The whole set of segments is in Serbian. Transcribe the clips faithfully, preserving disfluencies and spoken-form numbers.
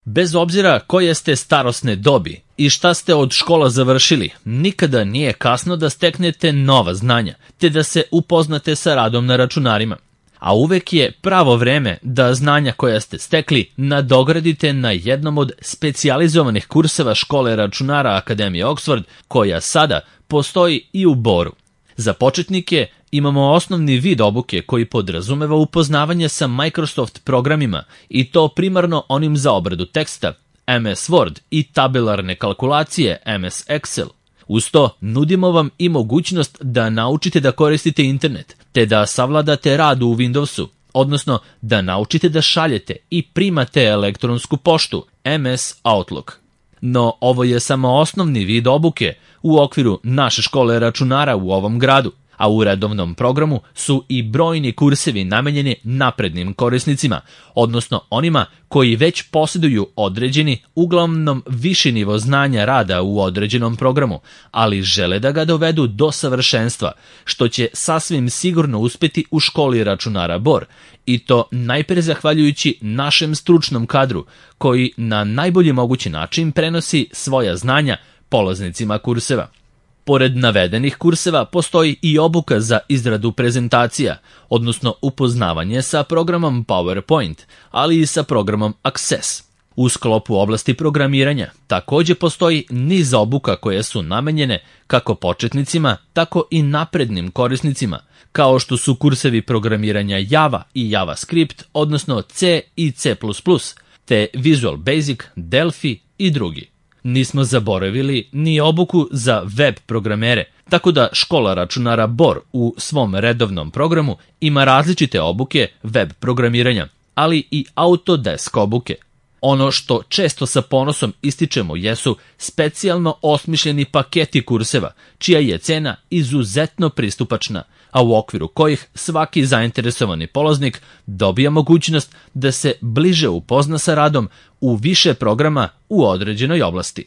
Bez obzira koje ste starosne dobi i šta ste od škola završili, nikada nije kasno da steknete nova znanja, te da se upoznate sa radom na računarima. A uvek je pravo vreme da znanja koja ste stekli nadogradite na jednom od specijalizovanih kurseva škole računara Akademije Oxford, koja sada postoji i u Boru. Za početnike imamo osnovni vid obuke koji podrazumeva upoznavanje sa Microsoft programima i to primarno onim za obradu teksta, em es Word i tabelarne kalkulacije, em es Excel. Uz to nudimo vam i mogućnost da naučite da koristite internet, te da savladate rad u Windowsu, odnosno da naučite da šaljete i primate elektronsku poštu, em es Outlook. No ovo je samo osnovni vid obuke u okviru naše škole računara u ovom gradu, a u redovnom programu su i brojni kursevi namenjeni naprednim korisnicima, odnosno onima koji već posjeduju određeni, uglavnom viši nivo znanja rada u određenom programu, ali žele da ga dovedu do savršenstva, što će sasvim sigurno uspjeti u školi računara Bor, i to najpre zahvaljujući našem stručnom kadru, koji na najbolji mogući način prenosi svoja znanja polaznicima kurseva. Pored navedenih kurseva postoji i obuka za izradu prezentacija, odnosno upoznavanje sa programom PowerPoint, ali i sa programom Access. U sklopu oblasti programiranja također postoji niz obuka koje su namenjene kako početnicima, tako i naprednim korisnicima, kao što su kursevi programiranja Java i JavaScript, odnosno C i C plus plus, te Visual Basic, Delphi i drugi. Nismo zaboravili ni obuku za web programere, tako da škola računara Bor u svom redovnom programu ima različite obuke web programiranja, ali i Autodesk obuke. Ono što često sa ponosom ističemo jesu specijalno osmišljeni paketi kurseva, čija je cena izuzetno pristupačna, a u okviru kojih svaki zainteresovani polaznik dobija mogućnost da se bliže upozna sa radom u više programa u određenoj oblasti.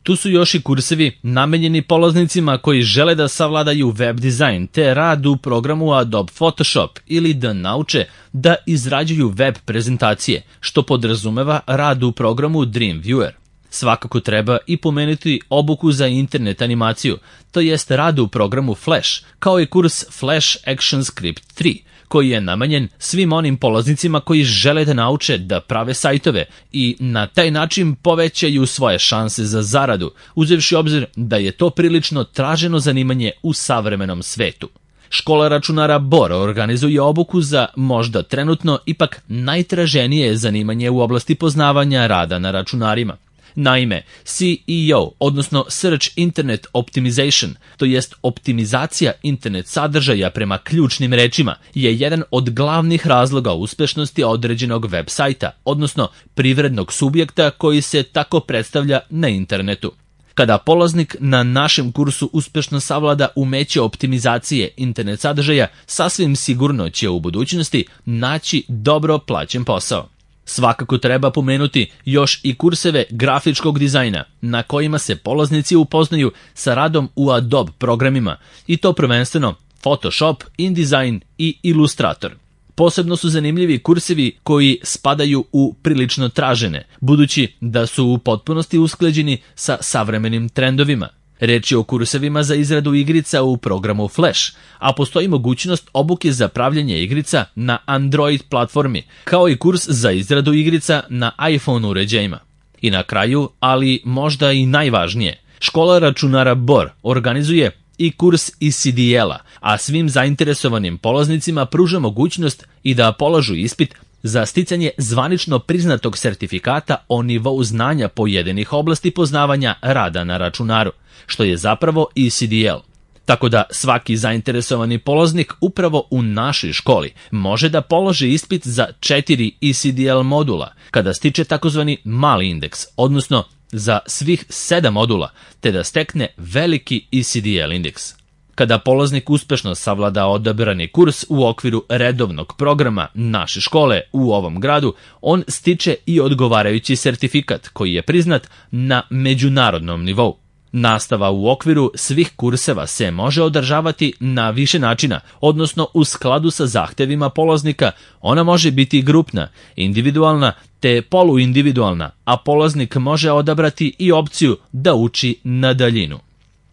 Tu su još i kursevi namenjeni polaznicima koji žele da savladaju web dizajn te rad u programu Adobe Photoshop ili da nauče da izrađuju web prezentacije, što podrazumeva rad u programu Dreamweaver. Svakako treba i pomenuti obuku za internet animaciju, to jest rad u programu Flash, kao i kurs Flash ActionScript tri, koji je namenjen svim onim polaznicima koji žele da nauče da prave sajtove i na taj način povećaju svoje šanse za zaradu, uzevši obzir da je to prilično traženo zanimanje u savremenom svetu. Škola računara Bor organizuje obuku za možda trenutno ipak najtraženije zanimanje u oblasti poznavanja rada na računarima. Naime, C E O, odnosno Search Internet Optimization, to jest optimizacija internet sadržaja prema ključnim rečima, je jedan od glavnih razloga uspešnosti određenog web sajta, odnosno privrednog subjekta koji se tako predstavlja na internetu. Kada polaznik na našem kursu uspešno savlada umeće optimizacije internet sadržaja, sasvim sigurno će u budućnosti naći dobro plaćen posao. Svakako treba pomenuti još i kurseve grafičkog dizajna, na kojima se polaznici upoznaju sa radom u Adobe programima, i to prvenstveno Photoshop, InDesign i Illustrator. Posebno su zanimljivi kursevi koji spadaju u prilično tražene, budući da su u potpunosti usklađeni sa savremenim trendovima. Reč je o kursevima za izradu igrica u programu Flash, a postoji mogućnost obuke za pravljanje igrica na Android platformi, kao i kurs za izradu igrica na iPhone uređajima. I na kraju, ali možda i najvažnije, škola računara Bor organizuje i kurs E C D L-a, a svim zainteresovanim polaznicima pruža mogućnost i da polažu ispit za sticanje zvanično priznatog sertifikata o nivou znanja pojedinih oblasti poznavanja rada na računaru, što je zapravo E C D L. Tako da svaki zainteresovani polaznik upravo u našoj školi može da položi ispit za četiri E C D L modula kada stiče takozvani mali indeks, odnosno za svih sedam modula, te da stekne veliki E C D L indeks. Kada polaznik uspešno savlada odabrani kurs u okviru redovnog programa naše škole u ovom gradu, on stiče i odgovarajući sertifikat koji je priznat na međunarodnom nivou. Nastava u okviru svih kurseva se može održavati na više načina, odnosno u skladu sa zahtevima polaznika. Ona može biti grupna, individualna te poluindividualna, a polaznik može odabrati i opciju da uči na daljinu.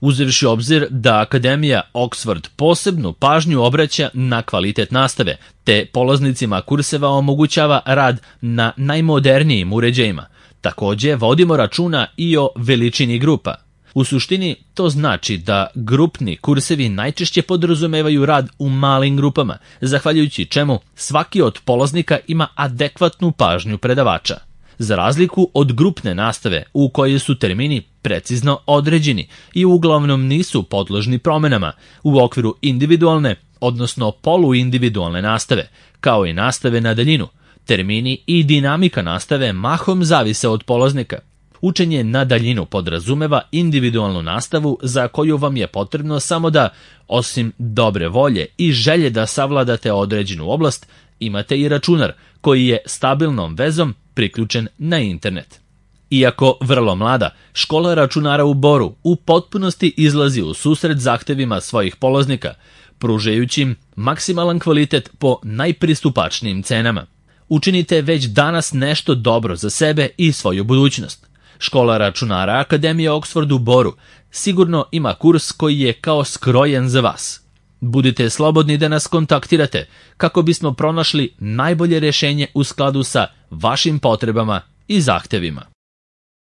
Uzevši obzir da Akademija Oxford posebnu pažnju obraća na kvalitet nastave, te polaznicima kurseva omogućava rad na najmodernijim uređajima, takođe vodimo računa i o veličini grupa. U suštini, to znači da grupni kursevi najčešće podrazumevaju rad u malim grupama, zahvaljujući čemu svaki od polaznika ima adekvatnu pažnju predavača. Za razliku od grupne nastave u kojoj su termini precizno određeni i uglavnom nisu podložni promenama, u okviru individualne, odnosno poluindividualne nastave, kao i nastave na daljinu, termini i dinamika nastave mahom zavise od polaznika. Učenje na daljinu podrazumeva individualnu nastavu za koju vam je potrebno samo da, osim dobre volje i želje da savladate određenu oblast, imate i računar koji je stabilnom vezom priključen na internet. Iako vrlo mlada, škola računara u Boru u potpunosti izlazi u susret zahtevima svojih polaznika, pružajući im maksimalan kvalitet po najpristupačnijim cenama. Učinite već danas nešto dobro za sebe i svoju budućnost. Škola računara Akademije Oxford u Boru sigurno ima kurs koji je kao skrojen za vas. Budite slobodni da nas kontaktirate kako bismo pronašli najbolje rješenje u skladu sa vašim potrebama i zahtevima.